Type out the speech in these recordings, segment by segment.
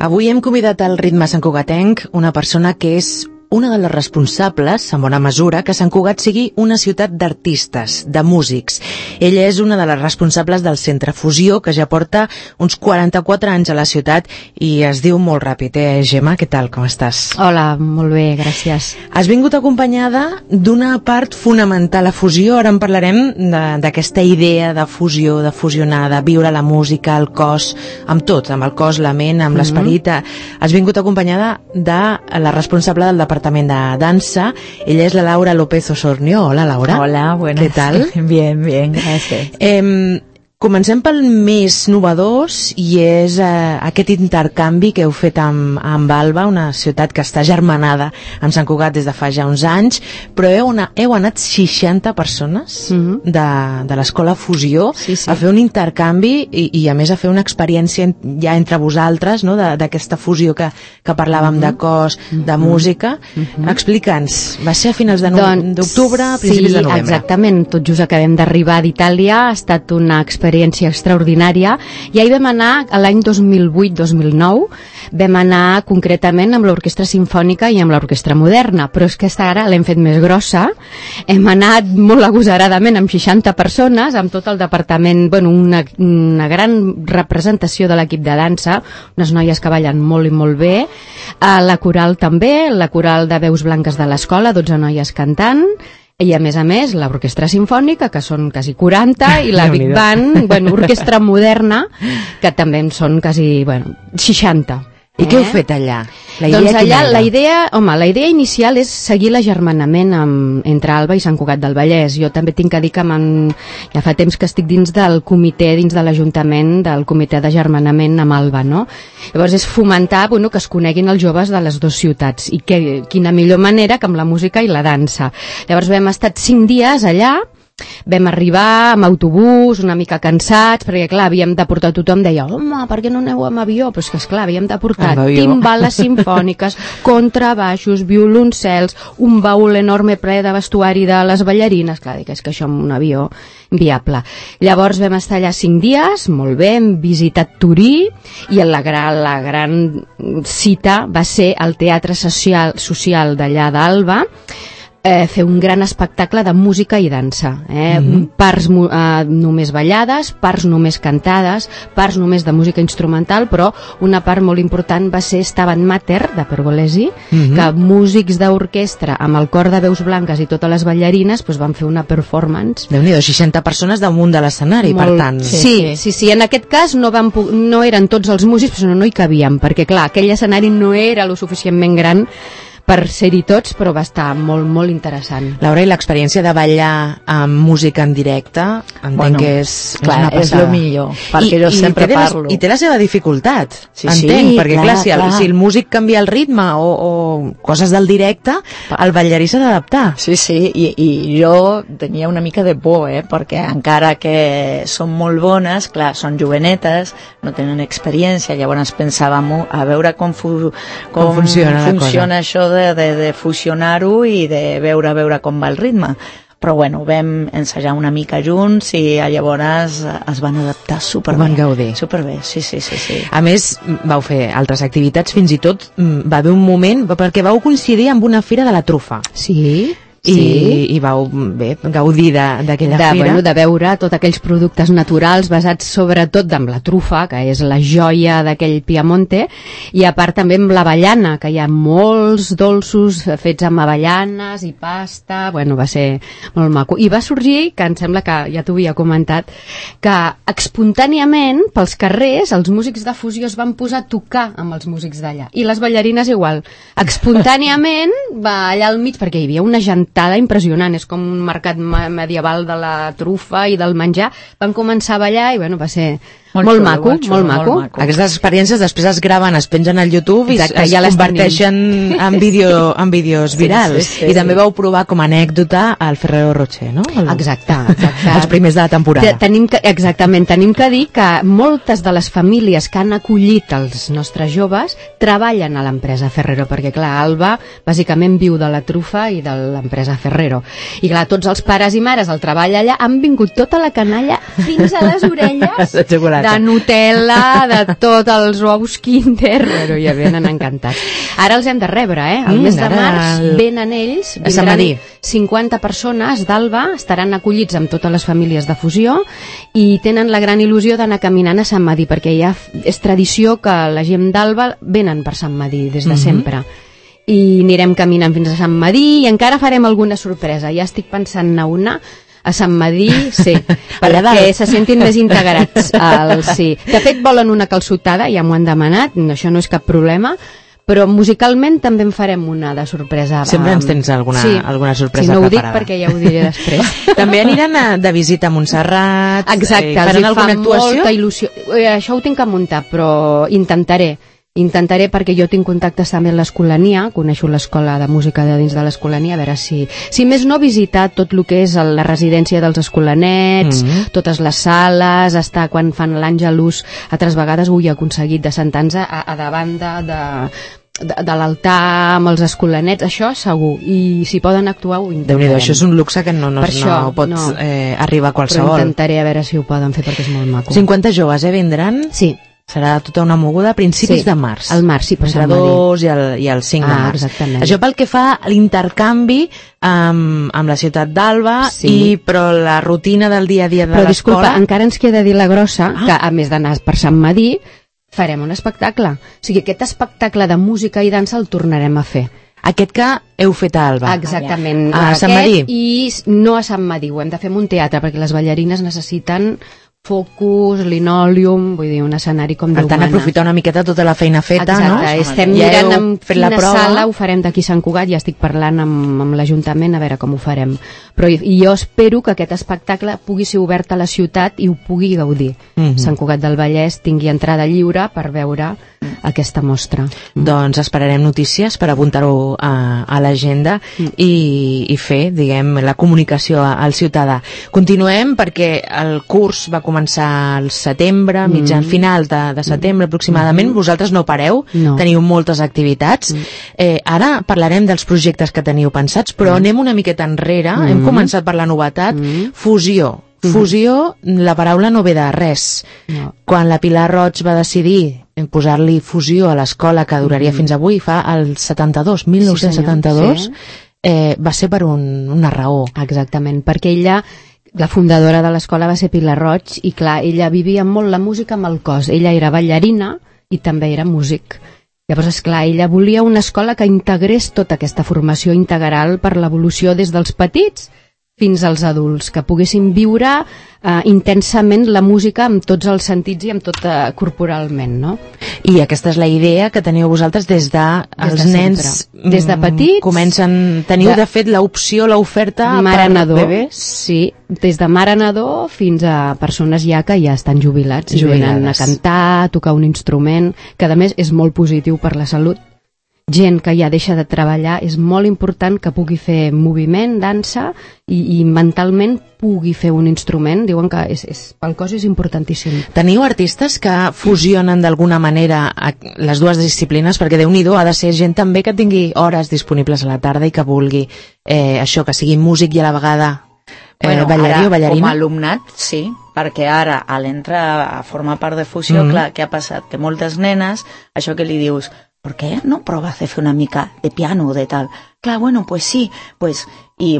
Avui hem convidat al Ritme Santcugatenc una persona que és una de les responsables, en bona mesura, que Sant Cugat sigui una ciutat d'artistes, de músics. Ella és una de les responsables del Centre Fusió, que ja porta uns 44 anys a la ciutat i es diu molt ràpid, Gemma? Què tal, com estàs? Hola, molt bé, gràcies. Has vingut acompanyada d'una part fonamental a Fusió, ara en parlarem d'aquesta idea de fusió, de fusionar, de viure la música, el cos, amb tot, amb el cos, la ment, amb l'esperit. Has vingut acompanyada de la responsable del Departament de Dansa. Ella és la Laura López Osornio. Hola, Laura. Hola, buenas. ¿Qué tal? Bien, bien, gracias. Comencem pel més novedós i és aquest intercanvi que heu fet amb Alba, una ciutat que està germanada amb Sant Cugat des de fa ja uns anys, però heu anat 60 persones de l'Escola Fusió a fer un intercanvi i a més a fer una experiència ja entre vosaltres, no? D'aquesta fusió que parlàvem de cos, de música. Explica'ns, va ser a finals d'octubre, principis de novembre. Sí, exactament, tot just acabem d'arribar d'Itàlia, ha estat una experiència extraordinària, i ahir vam anar a l'any 2008-2009, vam anar concretament amb l'Orquestra Simfònica i amb l'Orquestra Moderna, però és que ara l'hem fet més grossa, hem anat molt agosaradament amb 60 persones, amb tot el departament, bueno, una gran representació de l'equip de dansa, unes noies que ballen molt i molt bé, la coral també, la coral de veus blanques de l'escola, 12 noies cantant, i a més, l'Orquestra Simfònica, que són quasi 40, i la Big Band, Orquestra Moderna, que també en són quasi, 60. I què heu fet allà? Doncs allà la idea inicial és seguir l'agermanament entre Alba i Sant Cugat del Vallès. Jo també tinc que dir que ja fa temps que estic dins del comitè, dins de l'Ajuntament, del comitè d'agermanament amb Alba, no? Llavors és fomentar que es coneguin els joves de les dues ciutats, i quina millor manera que amb la música i la dansa. Llavors vam estar 5 dies allà. Vam arribar amb autobús, una mica cansats, perquè clar, havíem de portar, tothom deia, home, per què no aneu amb avió? Però és que esclar, havíem de portar timbales simfòniques, contrabaixos, violoncels, un baúl enorme ple de vestuari de les ballarines, clar, dic, és que això amb un avió viable. Llavors vam estar allà 5 dies, molt bé, hem visitat Torí, i la gran cita va ser el Teatre Social d'allà d'Alba, fer un gran espectacle de música i dansa, parts només ballades, parts només cantades, parts només de música instrumental, però una part molt important va ser Stabat Mater, de Pergolesi, que músics d'orquestra amb el cor de veus blanques i totes les ballarines van fer una performance. Déu-n'hi-do, 60 persones damunt de l'escenari, per tant. Sí, en aquest cas no eren tots els músics, però no hi cabíem, perquè clar, aquell escenari no era lo suficientment gran per ser-hi tots, però va estar molt, molt interessant. Laura, i l'experiència de ballar amb música en directe, entenc que és una passada. És el millor, perquè jo sempre parlo. I té la seva dificultat, entenc, perquè clar, si el músic canvia el ritme o coses del directe, el ballarí s'ha d'adaptar. Sí, i jo tenia una mica de por, perquè encara que són molt bones, clar, són jovenetes, no tenen experiència, llavors pensàvem a veure com funciona això de fusionar-ho i de veure com va el ritme. Però vam ensejar una mica junts i llavors es van adaptar superbé. Van gaudir. Superbé, sí. A més, vau fer altres activitats, fins i tot va haver un moment, perquè vau coincidir amb una fira de la trufa. Sí. I vau gaudir d'aquella fira. De veure tots aquells productes naturals basats sobretot amb la trufa, que és la joia d'aquell Piamonte, i a part també amb l'avellana, que hi ha molts dolços fets amb avellanes i pasta, va ser molt maco. I va sorgir, que em sembla que ja t'ho havia comentat, que espontàniament pels carrers els músics de Fusió es van posar a tocar amb els músics d'allà, i les ballarines igual. Espontàniament allà al mig, perquè hi havia una gentada impressionant, és com un mercat medieval de la trufa i del menjar, van començar a ballar i va ser molt maco. Aquestes experiències després es graven, es pengen al YouTube i es converteixen en vídeos virals. I també vau provar com a anècdota el Ferrero Rocher, no? Exacte. Els primers de la temporada. Tenim que dir que moltes de les famílies que han acollit els nostres joves treballen a l'empresa Ferrero, perquè clar, Alba bàsicament viu de la trufa i de l'empresa Ferrero. I clar, tots els pares i mares al treball allà han vingut tota la canalla fins a les orelles de Nutella, de tots els ous Kinder, bueno, ja venen encantats. Ara els hem de rebre, el mes de març venen ells, vindran 50 persones d'Alba, estaran acollits amb totes les famílies de Fusió i tenen la gran il·lusió d'anar caminant a Sant Madí, perquè ja és tradició que la gent d'Alba venen per Sant Madí des de sempre. I anirem caminant fins a Sant Madí i encara farem alguna sorpresa. Ja estic pensant anar una a Sant Madí, sí, perquè se sentin més integrats. Sí. De fet, volen una calçotada, ja m'ho han demanat, això no és cap problema, però musicalment també en farem una de sorpresa. Sempre ens tens alguna sorpresa preparada. Si no ho dic perquè ja ho diré després. També aniran de visita a Montserrat. Exacte, faran alguna actuació? Molta il·lusió. Això ho tinc que muntar, però intentaré perquè jo tinc contactes també amb l'Escolania, coneixo l'escola de música de dins de l'Escolania, a veure si més no visitar tot el que és la residència dels escolanets, totes les sales, estar quan fan l'Àngelus, altres vegades ho he aconseguit de sentar-nos a davant de l'altar amb els escolanets, això segur, i si poden actuar ho intentarem. Déu-n'hi-do, això és un luxe que no pot arribar a qualsevol. Però intentaré a veure si ho poden fer perquè és molt maco. 50 joves, vindran? Sí. Serà tota una moguda a principis de març. Al març, sí, per Sant Madí. Entre 2 i el 5 de març. Exactament. Això pel que fa a l'intercanvi amb la ciutat d'Alba, però la rutina del dia a dia de l'escola... Però disculpa, encara ens queda dir la grossa, que a més d'anar per Sant Madí, farem un espectacle. O sigui, aquest espectacle de música i dansa el tornarem a fer. Aquest que heu fet a Alba. Exactament. A Sant Madí. I no a Sant Madí, ho hem de fer en un teatre, perquè les ballarines necessiten focus, linòleum, vull dir, un escenari com Déu mana. Per tant, aprofitar una miqueta tota la feina feta, no? Exacte, estem mirant en quina sala ho farem d'aquí Sant Cugat, ja estic parlant amb l'Ajuntament a veure com ho farem. Però jo espero que aquest espectacle pugui ser obert a la ciutat i ho pugui gaudir. Sant Cugat del Vallès tingui entrada lliure per veure aquesta mostra. Doncs esperarem notícies per apuntar-ho a l'agenda i fer, diguem, la comunicació al ciutadà. Continuem perquè el curs va començar al setembre, mitjan final de setembre aproximadament. Vosaltres no pareu, teniu moltes activitats. Ara parlarem dels projectes que teniu pensats, però anem una miqueta enrere. Hem començat per la novetat, fusió. Fusió, la paraula no ve de res. Quan la Pilar Roig va decidir posar-li fusió a l'escola, que duraria fins avui, fa el 1972, va ser per una raó. Exactament, perquè ella, la fundadora de l'escola va ser Pilar Roig, i clar, ella vivia molt la música amb el cos. Ella era ballarina i també era músic. Llavors, esclar, ella volia una escola que integrés tota aquesta formació integral per l'evolució des dels petits fins als adults, que poguessin viure intensament la música amb tots els sentits i amb tot corporalment, no? I aquesta és la idea que teniu vosaltres des els nens... Des de petits... Teniu, de fet, l'opció, l'oferta per bebès? Sí, des de mare nadó fins a persones ja que ja estan jubilats i venen a cantar, a tocar un instrument, que a més és molt positiu per la salut. Gent que ja deixa de treballar, és molt important que pugui fer moviment, dansa i mentalment pugui fer un instrument. Diuen que pel cos és importantíssim. Teniu artistes que fusionen d'alguna manera les dues disciplines, perquè Déu-n'hi-do, ha de ser gent també que tingui hores disponibles a la tarda i que vulgui això, que sigui músic i a la vegada ballarí o ballarina? Com a alumnat, sí, perquè ara, a l'entrar a formar part de fusió, clar, què ha passat? Que moltes nenes, això que li dius, ¿por qué no provas de fer una mica de piano o de tal? Clar, bueno, pues sí, pues... I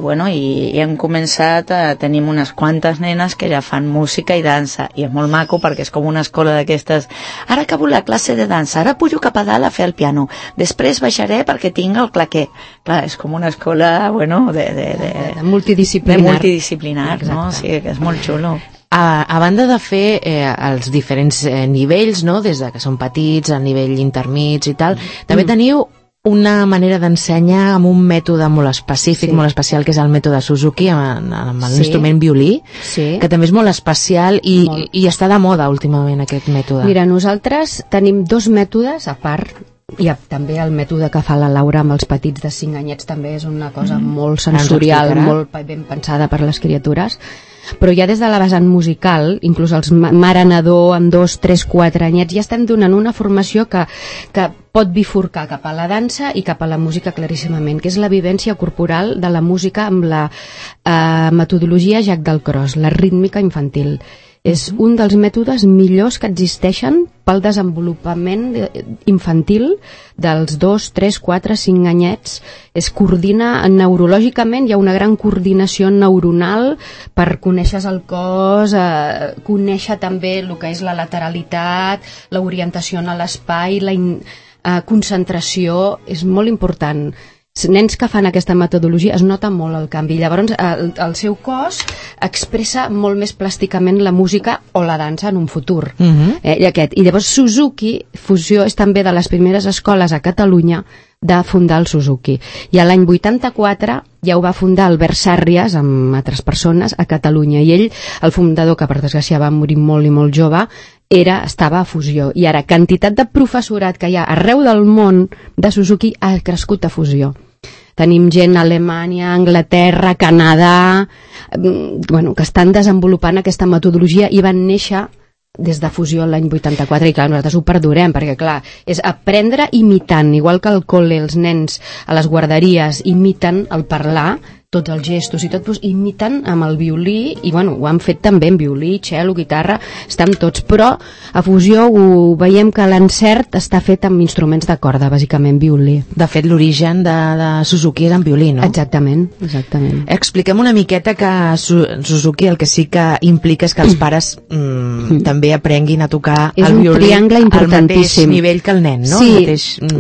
hem començat, tenim unes quantes nenes que ja fan música i dansa, i és molt maco perquè és com una escola d'aquestes. Ara acabo la classe de dansa, ara pujo cap a dalt a fer el piano, després baixaré perquè tinc el claqué. Clar, és com una escola, de multidisciplinar. De multidisciplinar, no? O sigui, que és molt xulo. A banda de fer els diferents nivells, no? Des de que són petits, al nivell intermig i tal, també teniu una manera d'ensenyar amb un mètode molt específic, molt especial, que és el mètode Suzuki, amb l'instrument violí, que també és molt especial i està de moda últimament aquest mètode. Mira, nosaltres tenim dos mètodes a part. I també el mètode que fa la Laura amb els petits de 5 anyets també és una cosa molt sensorial, molt ben pensada per les criatures. Però ja des de la vessant musical, inclús els mare-nadó amb 2, 3, 4 anyets, ja estem donant una formació que pot bifurcar cap a la dansa i cap a la música claríssimament, que és la vivència corporal de la música amb la metodologia Jacques Dalcroze, la rítmica infantil. És un dels mètodes millors que existeixen pel desenvolupament infantil dels 2, 3, 4, 5 anyets. Es coordina neurològicament, hi ha una gran coordinació neuronal per conèixer el cos, conèixer també el que és la lateralitat, l'orientació en l'espai, la concentració, és molt important. Nens que fan aquesta metodologia es nota molt el canvi. Llavors el seu cos expressa molt més plàsticament la música o la dansa en un futur. I llavors Suzuki Fusió és també de les primeres escoles a Catalunya de fundar el Suzuki. I a l'any 84 ja ho va fundar Albert Sàrries amb altres persones a Catalunya, i ell, el fundador, que per desgràcia va morir molt i molt jove, estava a Fusió, i ara quantitat de professorat que hi ha arreu del món de Suzuki ha crescut a Fusió. Tenim gent a Alemanya, Anglaterra, Canadà, que estan desenvolupant aquesta metodologia i van néixer des de Fusió l'any 84, i clar, nosaltres ho perdurem, perquè clar, és aprendre imitant, igual que al col·le els nens a les guarderies imiten el parlar, tots els gestos i tot, doncs, imiten amb el violí, i ho han fet també en violí, cello, guitarra, estan tots, però a Fusió ho veiem que l'encert està fet amb instruments de corda, bàsicament violí. De fet, l'origen de Suzuki és en violí, no? Exactament. Expliquem una miqueta que Suzuki el que sí que implica és que els pares també aprenguin a tocar el violí al mateix nivell que el nen, no? Sí,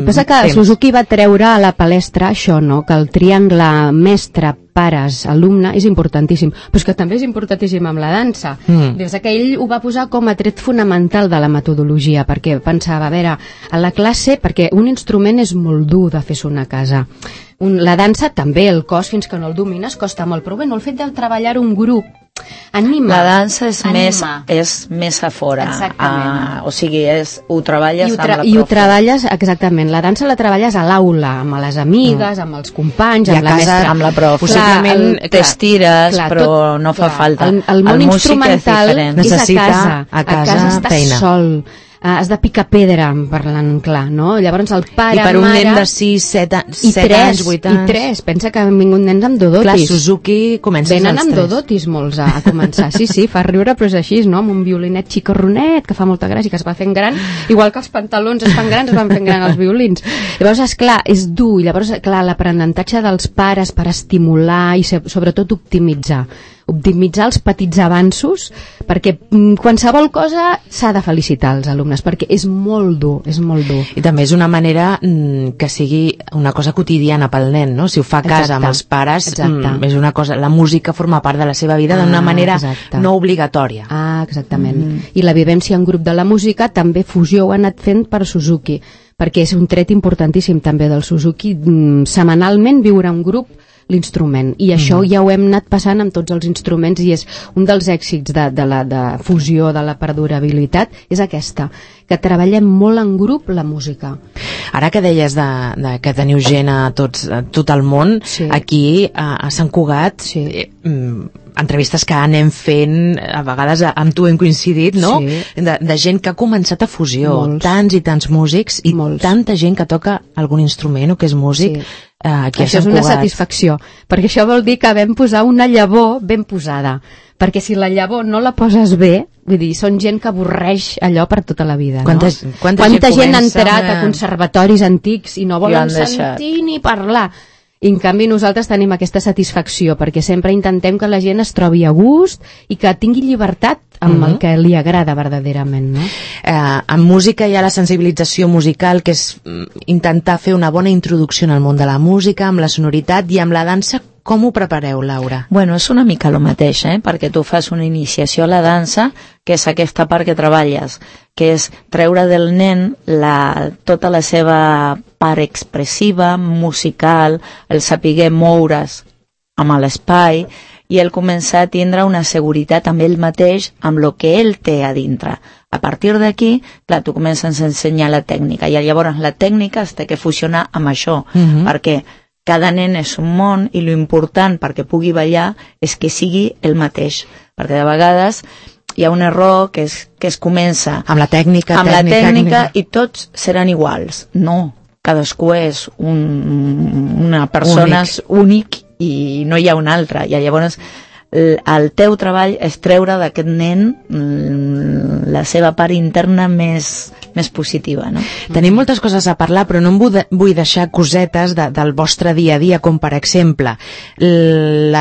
passa que Suzuki va treure a la palestra això, no? Que el triangle mestre pares, alumne, és importantíssim, però és que també és importantíssim amb la dansa. Des que ell ho va posar com a tret fonamental de la metodologia, perquè pensava, a veure, a la classe, perquè un instrument és molt dur de fer sonar a casa. La dansa també, el cos, fins que no el domines, costa molt, però el fet de treballar un grup anima. La dansa és més a fora. O sigui, ho treballes amb la profe. I ho treballes, exactament. La dansa la treballes a l'aula, amb les amigues, amb els companys, amb la mestra. Amb la profe. Possiblement t'estires, però no fa falta. El món instrumental és a casa estàs sol. Has de picar pedra, parlant clar, no? Llavors el pare, i per un nen de 6, 7 anys, 8 anys... I 3, pensa que han vingut nens amb dodotis. Clar, Suzuki comences als 3. Venen amb dodotis molts a començar. Sí, fa riure, però és així, no? Amb un violinet xicorronet, que fa molta gràcia, que es va fent gran, igual que els pantalons es fan grans, es van fent gran els violins. Llavors, esclar, és dur, i llavors, clar, l'aprenentatge dels pares per estimular i sobretot optimitzar els petits avanços, perquè qualsevol cosa s'ha de felicitar als alumnes, perquè és molt dur, és molt dur. I també és una manera que sigui una cosa quotidiana pel nen, no? Si ho fa a casa amb els pares, és una cosa, la música forma part de la seva vida d'una manera no obligatòria. Exactament. I la vivència en grup de la música també Fusió ho ha anat fent per Suzuki, perquè és un tret importantíssim també del Suzuki, setmanalment viure en grup l'instrument, i això ja ho hem anat passant amb tots els instruments, i és un dels èxits de Fusió, de la perdurabilitat, és aquesta, que treballem molt en grup la música. Ara que deies que teniu gent a tot el món, aquí a Sant Cugat, entrevistes que anem fent, a vegades amb tu hem coincidit, no? De gent que ha començat a Fusió, tants i tants músics, i tanta gent que toca algun instrument o que és músic. Això és una satisfacció, perquè això vol dir que vam posar una llavor ben posada, perquè si la llavor no la poses bé, vull dir, són gent que avorreix allò per tota la vida, no? Quanta gent ha entrat a conservatoris antics i no volen sentir ni parlar. I en canvi nosaltres tenim aquesta satisfacció, perquè sempre intentem que la gent es trobi a gust i que tingui llibertat amb el que li agrada verdaderament, no? En música hi ha la sensibilització musical, que és intentar fer una bona introducció en el món de la música, amb la sonoritat, i amb la dansa. Com ho prepareu, Laura? Bueno, és una mica el mateix, perquè tu fas una iniciació a la dansa, que és aquesta part que treballes, que és treure del nen tota la seva part expressiva, musical, el saber moure's amb l'espai, i el començar a tindre una seguretat amb ell mateix, amb el que ell té a dintre. A partir d'aquí, clar, tu comences a ensenyar la tècnica, i llavors la tècnica es té que fusionar amb això, perquè cada nen és un món, i l'important perquè pugui ballar és que sigui el mateix, perquè de vegades hi ha un error que es comença amb la tècnica i tots seran iguals. No, cadascú és una persona únic i no hi ha una altra, i llavors el teu treball és treure d'aquest nen la seva part interna més positiva, no? Tenim moltes coses a parlar, però no em vull deixar cosetes del vostre dia a dia, com per exemple el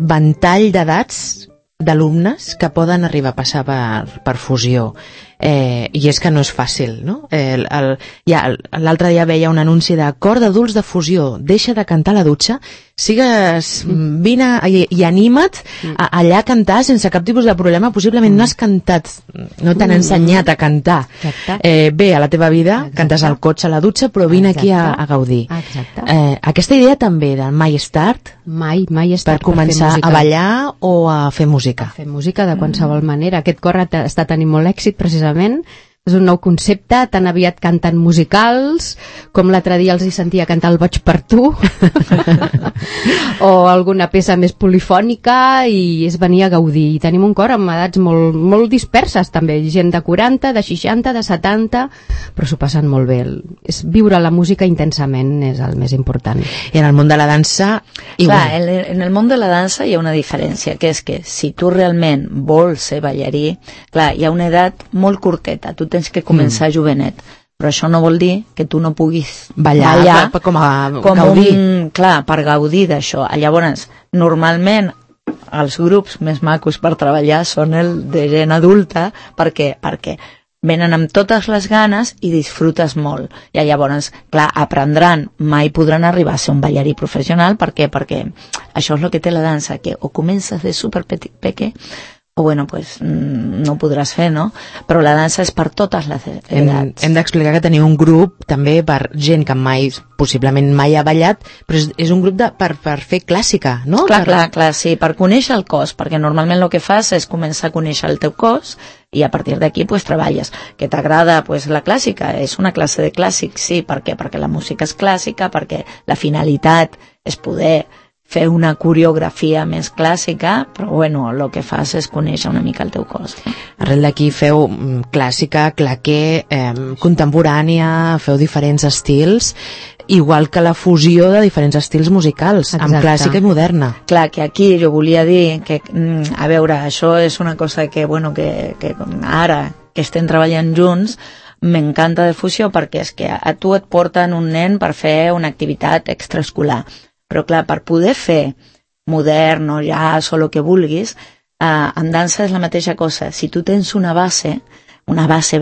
ventall d'edats d'alumnes que poden arribar a passar per fusió. I és que no és fàcil, no? L'altre dia veia un anunci de cor d'adults de fusió, deixa de cantar a la dutxa, vine i anima't allà a cantar sense cap tipus de problema. Possiblement no has cantat, no t'han ensenyat a cantar bé a la teva vida, cantes al cotxe, a la dutxa, però vine aquí a gaudir. Aquesta idea també del mai és tard, mai és tard per començar a ballar o a fer música. A fer música de qualsevol manera. Aquest cor està tenint molt èxit precisament. És un nou concepte, tan aviat canten musicals, com l'altre dia els hi sentia cantar El boig per tu, o alguna peça més polifònica, i és venir a gaudir. I tenim un cor amb edats molt disperses, també, gent de 40, de 60, de 70, però s'ho passen molt bé. És viure la música intensament és el més important. I en el món de la dansa, igual. Clar, en el món de la dansa hi ha una diferència, que és que si tu realment vols ser ballarí, clar, hi ha una edat molt curteta, tu tens que començar jovenet, però això no vol dir que tu no puguis ballar com gaudir. Clar, per gaudir d'això. Llavors, normalment els grups més macos per treballar són el de gent adulta, perquè venen amb totes les ganes i disfrutes molt. I llavors, clar, aprendran, mai podran arribar a ser un ballarí professional. Per què? Perquè això és el que té la dansa, que o comences de super peque, o bueno, pues no ho podràs fer, no? Però la dansa és per totes les edats. Hem d'explicar que teniu un grup també per gent que possiblement mai ha ballat, però és un grup per fer clàssica, no? Clar, sí, per conèixer el cos, perquè normalment el que fas és començar a conèixer el teu cos i a partir d'aquí pues treballes. Que t'agrada pues la clàssica? És una classe de clàssic, sí. Per què? Perquè la música és clàssica, perquè la finalitat és poder fer una coreografia més clàssica, però bueno, el que fas és conèixer una mica el teu cos. Arrel d'aquí feu clàssica, claqué, contemporània, feu diferents estils, igual que la fusió de diferents estils musicals, amb clàssica i moderna. Clar, que aquí jo volia dir que, a veure, això és una cosa que, bueno, que ara que estem treballant junts, m'encanta de fusió, perquè és que a tu et porten un nen per fer una activitat extraescolar. Però clar, per poder fer modern o jazz o el que vulguis, en dansa és la mateixa cosa. Si tu tens una base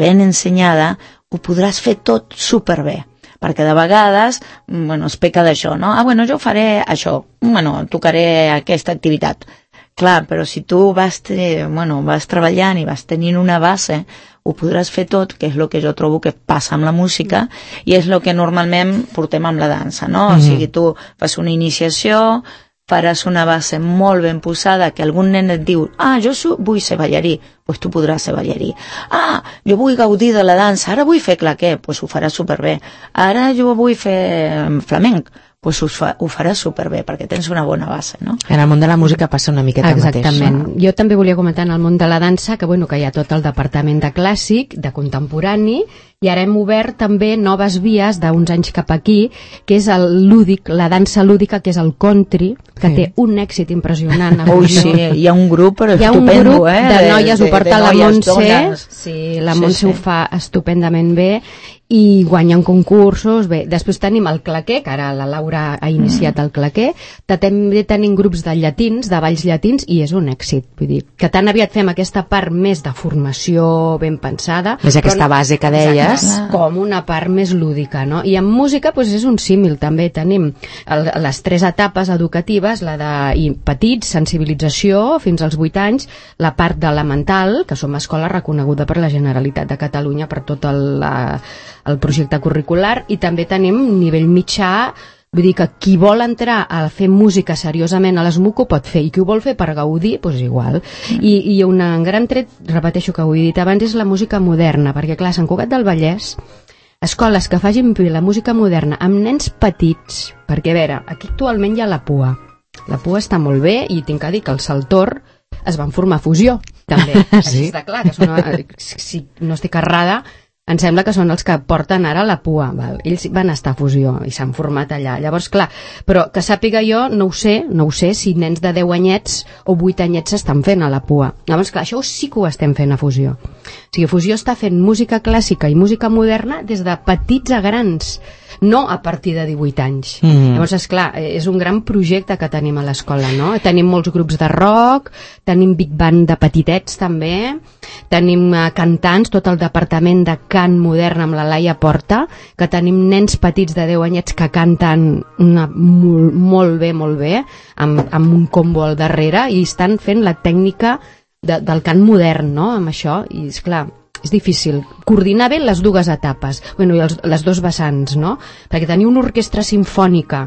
ben ensenyada, ho podràs fer tot superbé. Perquè de vegades, bueno, es peca d'això, no? Bueno, jo faré això, bueno, tocaré aquesta activitat. Clar, però si tu vas treballant i vas tenint una base, ho podràs fer tot, que és el que jo trobo que passa amb la música i és el que normalment portem amb la dansa, no? O sigui, tu fas una iniciació, faràs una base molt ben posada, que algun nen et diu, jo vull ser ballarí, doncs tu podràs ser ballarí. Jo vull gaudir de la dansa, ara vull fer claqué, doncs ho faràs superbé. Ara jo vull fer flamenc, doncs ho faràs superbé, perquè tens una bona base, no? En el món de la música passa una miqueta el mateix. Exactament. Jo també volia comentar en el món de la dansa que hi ha tot el departament de clàssic, de contemporani, i ara hem obert també noves vies d'uns anys cap aquí, que és el lúdic, la dansa lúdica, que és el country, que té un èxit impressionant. Ui, sí, hi ha un grup estupendo, hi ha un grup de noies, ho porta la Montse, sí, la Montse ho fa estupendament bé, i guanyen concursos. Bé, després tenim el claqué, que ara la Laura ha iniciat el claqué, també tenim grups de llatins, de balls llatins, i és un èxit. Vull dir, que tan aviat fem aquesta part més de formació ben pensada, més aquesta base que deies, com una part més lúdica, no? I en música és un símil, també tenim les 3 etapes educatives, la de petits, sensibilització, fins als 8 anys, la part de la mental, que som escola reconeguda per la Generalitat de Catalunya per tot el projecte curricular, i també tenim nivell mitjà. Vull dir que qui vol entrar a fer música seriosament a l'ESMUC ho pot fer, i qui ho vol fer per gaudir, doncs igual. I un gran tret, repeteixo que ho he dit abans, és la música moderna, perquè clar, Sant Cugat del Vallès, escoles que facin bé la música moderna amb nens petits, perquè a veure, aquí actualment hi ha la PUA. La PUA està molt bé, i tinc que dir que el Saltor es van formar fusió, també. Sí. Està clar que si no estic errada, em sembla que són els que porten ara la PUA, val? Ells van estar a Fusió i s'han format allà. Llavors, clar, però que sàpiga jo, no ho sé si nens de 10 anyets o 8 anyets s'estan fent a la PUA. Llavors, clar, això sí que ho estem fent a Fusió. O sigui, Fusió està fent música clàssica i música moderna des de petits a grans, no a partir de 18 anys. Llavors, esclar, és un gran projecte que tenim a l'escola, no? Tenim molts grups de rock, tenim big band de petitets també, tenim cantants, tot el departament de cant modern amb la Laia Porta, que tenim nens petits de 10 anyets que canten molt bé, amb un combo al darrere, i estan fent la tècnica del cant modern, no?, amb això, i esclar, és difícil coordinar bé les dues etapes, bueno, i les dos vessants, no? Perquè tenir una orquestra simfònica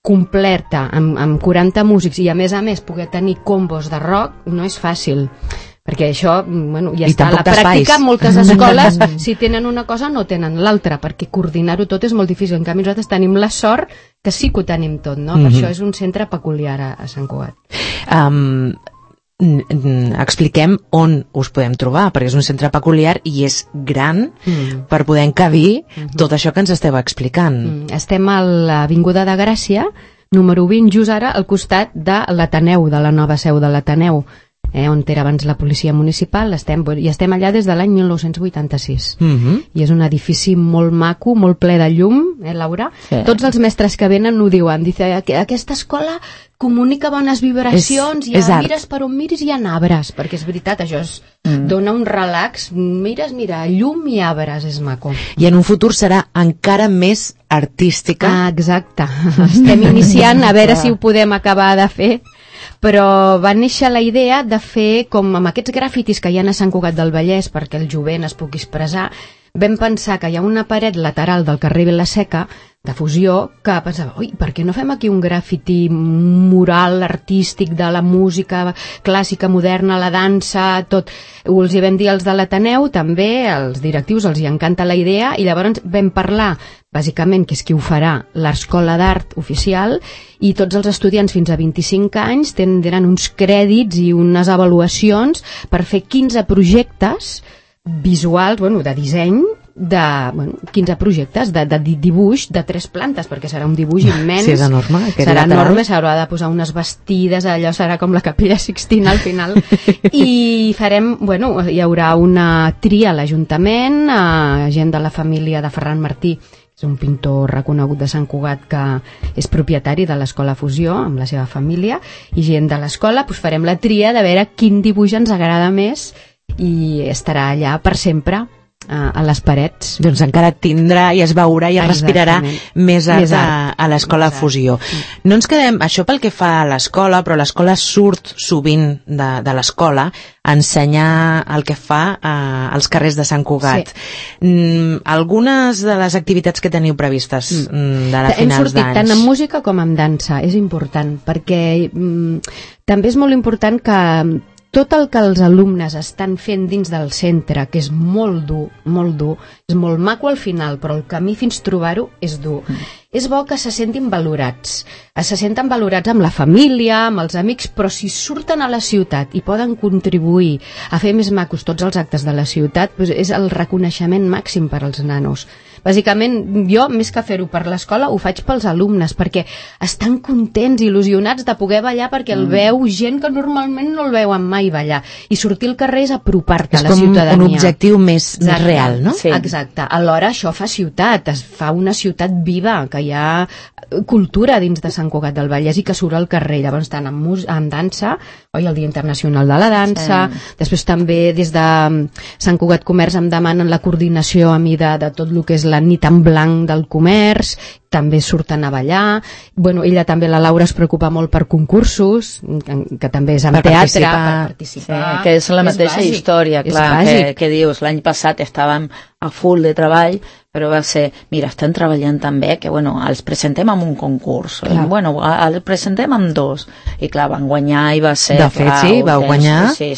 completa, amb 40 músics, i a més poder tenir combos de rock, no és fàcil, perquè això, bueno, ja està a la pràctica. Moltes escoles, si tenen una cosa, no tenen l'altra, perquè coordinar-ho tot és molt difícil. En canvi, nosaltres tenim la sort que sí que ho tenim tot, no? Per això és un centre peculiar a Sant Cugat. Expliquem on us podem trobar, perquè és un centre peculiar i és gran per poder encabir tot això que ens esteu explicant. Estem a l'Avinguda de Gràcia, número 20, just ara al costat de l'Ateneu, de la nova seu de l'Ateneu, on era abans la policia municipal, i estem allà des de l'any 1986. I és un edifici molt maco, molt ple de llum, Laura? Sí. Tots els mestres que venen ho diuen, aquesta escola comunica bones vibracions, mires per on miris hi ha arbres, perquè és veritat, això dona un relax, mira, llum i arbres, és maco. I en un futur serà encara més artística. Exacte, estem iniciant a veure si ho podem acabar de fer, però va néixer la idea de fer com amb aquests grafitis que hi ha a Sant Cugat del Vallès perquè el jovent es pugui expressar. Vam pensar que hi ha una paret lateral del carrer Vilaseca de Fusió que pensava, oi, per què no fem aquí un grafiti mural artístic de la música clàssica, moderna, la dansa, tot. Els hi vam dir als de l'Ateneu, també, als directius els hi encanta la idea, i llavors vam parlar, bàsicament, que és qui ho farà, l'Escola d'Art Oficial, i tots els estudiants fins a 25 anys tindran uns crèdits i unes avaluacions per fer 15 projectes visuals, de disseny, 15 projectes de dibuix de 3 plantes, perquè serà un dibuix immens. Sí, és enorme. Serà enorme, s'haurà de posar unes vestides, allò serà com la Capella Sixtina al final. I farem, hi haurà una tria a l'Ajuntament, gent de la família de Ferran Martí, és un pintor reconegut de Sant Cugat que és propietari de l'Escola Fusió amb la seva família, i gent de l'escola, farem la tria de veure quin dibuix ens agrada més i estarà allà per sempre a les parets. Doncs encara tindrà i es veurà i es respirarà més art a l'Escola Fusió. No ens quedem, això pel que fa a l'escola, però l'escola surt sovint de l'escola a ensenyar el que fa als carrers de Sant Cugat. Algunes de les activitats que teniu previstes de la finals d'anys? Hem sortit tant en música com en dansa, és important, perquè també és molt important que tot el que els alumnes estan fent dins del centre, que és molt dur, és molt maco al final, però el camí fins trobar-ho és dur. És bo que se sentin valorats. Se senten valorats amb la família, amb els amics, però si surten a la ciutat i poden contribuir a fer més macos tots els actes de la ciutat, és el reconeixement màxim per als nanos. Bàsicament, jo, més que fer-ho per l'escola, ho faig pels alumnes, perquè estan contents, il·lusionats de poder ballar, perquè el veu gent que normalment no el veuen mai ballar. I sortir al carrer és apropar-te a la ciutadania. És com un objectiu més real, no? Sí. Exacte. Alhora això fa ciutat, es fa una ciutat viva, que hi ha cultura dins de Sant Cugat del Vallès i que surt al carrer. Llavors estan en dansa, el Dia Internacional de la Dansa, després també des de Sant Cugat Comerç em demanen la coordinació a mi de tot el que és la nit en blanc del comerç, també surten a ballar. Ella també, la Laura, es preocupa molt per concursos, que també és amb teatre, per participar. Sí, que és la mateixa història, clar, que dius, l'any passat estàvem a full de treball, però va ser, mira, estan treballant també, que els presentem amb un concurs, els presentem amb 2, i clar, van guanyar i va ser... De fet, sí, vau guanyar. Sí,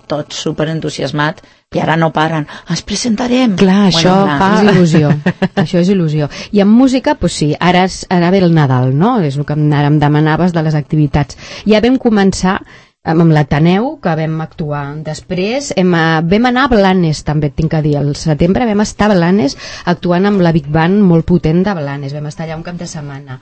tots superentusiasmats, i ara no paren, ens presentarem. Clar, això fa... És il·lusió, això és il·lusió. I en música, sí, ara ve el Nadal, no? És el que ara em demanaves de les activitats. Ja vam començar amb l'Ateneu, que vam actuar. Després vam anar a Blanes, també tinc que dir, al setembre vam estar a Blanes actuant amb la Big Band molt potent de Blanes, vam estar allà un cap de setmana.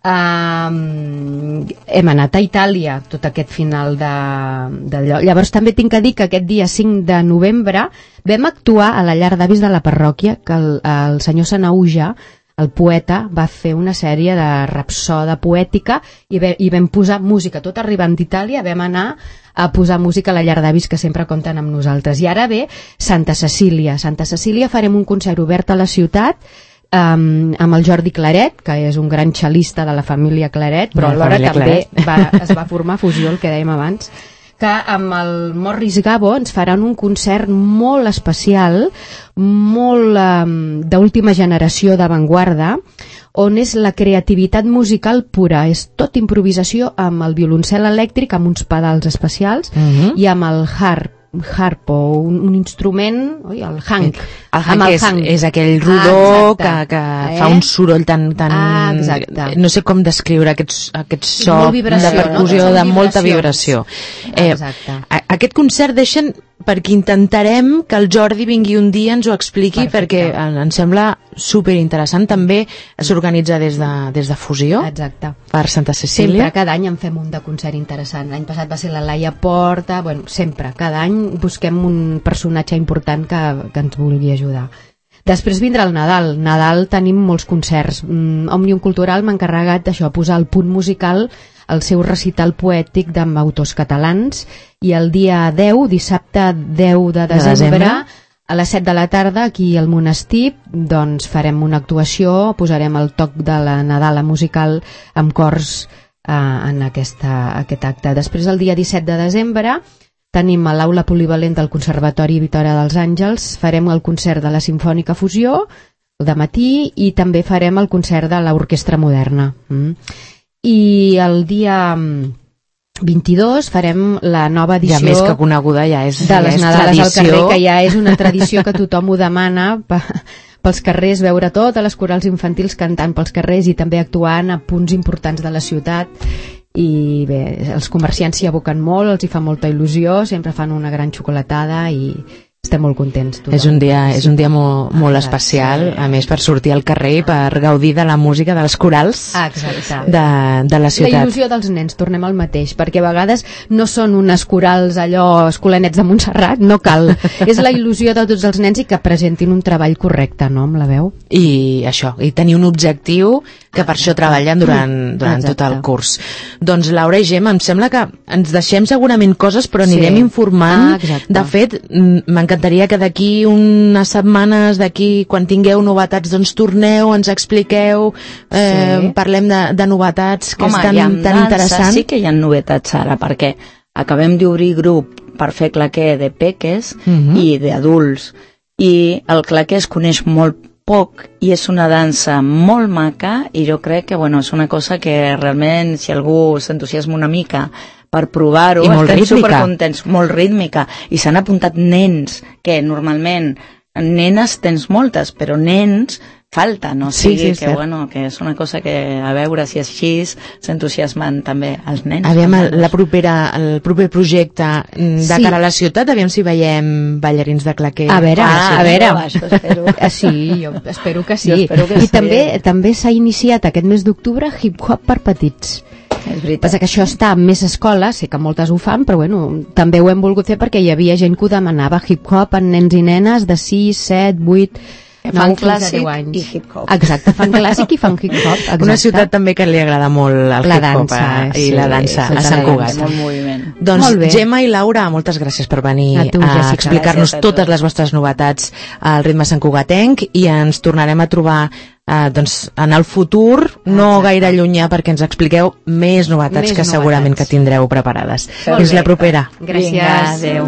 Hem anat a Itàlia tot aquest final d'allò. Llavors també tinc que dir que aquest dia 5 de novembre vam actuar a la llar d'avis de la parròquia, que el senyor Sanauja, el poeta, va fer una sèrie de rapsoda poètica i vam posar música. Tot arribant d'Itàlia vam anar a posar música a la llar d'avis, que sempre compten amb nosaltres. I ara ve Santa Cecília. Santa Cecília farem un concert obert a la ciutat amb el Jordi Claret, que és un gran xalista de la família Claret, però alhora també es va formar fusió, el que dèiem abans, que amb el Morris Gabo ens faran un concert molt especial, molt d'última generació d'avantguarda, on és la creativitat musical pura, és tot improvisació amb el violoncel elèctric, amb uns pedals especials, i amb el harp o un instrument, el hank. El hank és aquell rodó que fa un soroll tan no sé com descriure aquest so de percussió, de molta vibració. Aquest concert deixen perquè intentarem que el Jordi vingui un dia i ens ho expliqui. Perfecte. Perquè em sembla superinteressant. També s'organitza des de Fusió. Exacte. Per Santa Cecília. Sempre, cada any en fem un de concert interessant. L'any passat va ser la Laia Porta. Bueno, sempre, cada any busquem un personatge important que ens vulgui ajudar. Després vindrà el Nadal. Nadal tenim molts concerts. Òmnium Cultural m'ha encarregat d'això, posar el punt musical, el seu recital poètic amb autors catalans, i el dia 10, dissabte 10 de desembre, a les 7 de la tarda, aquí al monestir, doncs farem una actuació, posarem el toc de la Nadala musical amb cors en aquest acte. Després, el dia 17 de desembre, tenim a l'Aula Polivalent del Conservatori Vitòria dels Àngels, farem el concert de la Simfònica Fusió, de matí, i també farem el concert de l'Orquestra Moderna. I el dia 22 farem la nova edició, ja més que coneguda, ja és de les Nadales al carrer, que ja és una tradició que tothom ho demana pels carrers, veure totes les corals infantils cantant pels carrers i també actuant a punts importants de la ciutat. I bé, els comerciants s'hi aboquen molt, els hi fa molta il·lusió, sempre fan una gran xocolatada i estem molt contents. Tothom. És un dia molt especial, a més per sortir al carrer i per gaudir de la música de les corals de la ciutat. La il·lusió dels nens, tornem al mateix, perquè a vegades no són unes corals allò escolanets de Montserrat, no cal. És la il·lusió de tots els nens i que presentin un treball correcte, no?, amb la veu. I això, i tenir un objectiu, que per això treballen durant tot el curs. Doncs Laura i Gemma, em sembla que ens deixem segurament coses, però anirem informant. De fet, m'encantaria que d'aquí unes setmanes, quan tingueu novetats, doncs torneu, ens expliqueu, parlem de novetats, que és tan interessant. Sí que hi ha novetats ara, perquè acabem d'obrir grup per fer claqué de peques i d'adults, i el claqué es coneix molt poc i és una dansa molt maca, i jo crec que és una cosa que realment, si algú s'entusiasma una mica per provar-ho, estem supercontents, molt rítmica, i s'han apuntat nens, que normalment nenes tens moltes, però nens falta, no? Que és una cosa que, a veure si així s'entusiasmen també els nens. Aviam, el proper projecte de cara a la ciutat, aviam si veiem ballarins de claqué. A veure. Sí, jo espero que sí. I també s'ha iniciat aquest mes d'octubre hip-hop per petits. Passa que això està en més escoles, sé que moltes ho fan, però també ho hem volgut fer perquè hi havia gent que ho demanava, hip-hop en nens i nenes de 6, 7, 8... fan clàssic i hip-hop. Exacte, fan clàssic i fan hip-hop. Una ciutat també que li agrada molt el hip-hop i la dansa a Sant Cugat. Molt moviment. Doncs Gemma i Laura, moltes gràcies per venir a explicar-nos totes les vostres novetats al ritme santcugatenc, i ens tornarem a trobar en el futur, no gaire llunyà, perquè ens expliqueu més novetats que segurament que tindreu preparades. Fins la propera. Gràcies. Adéu.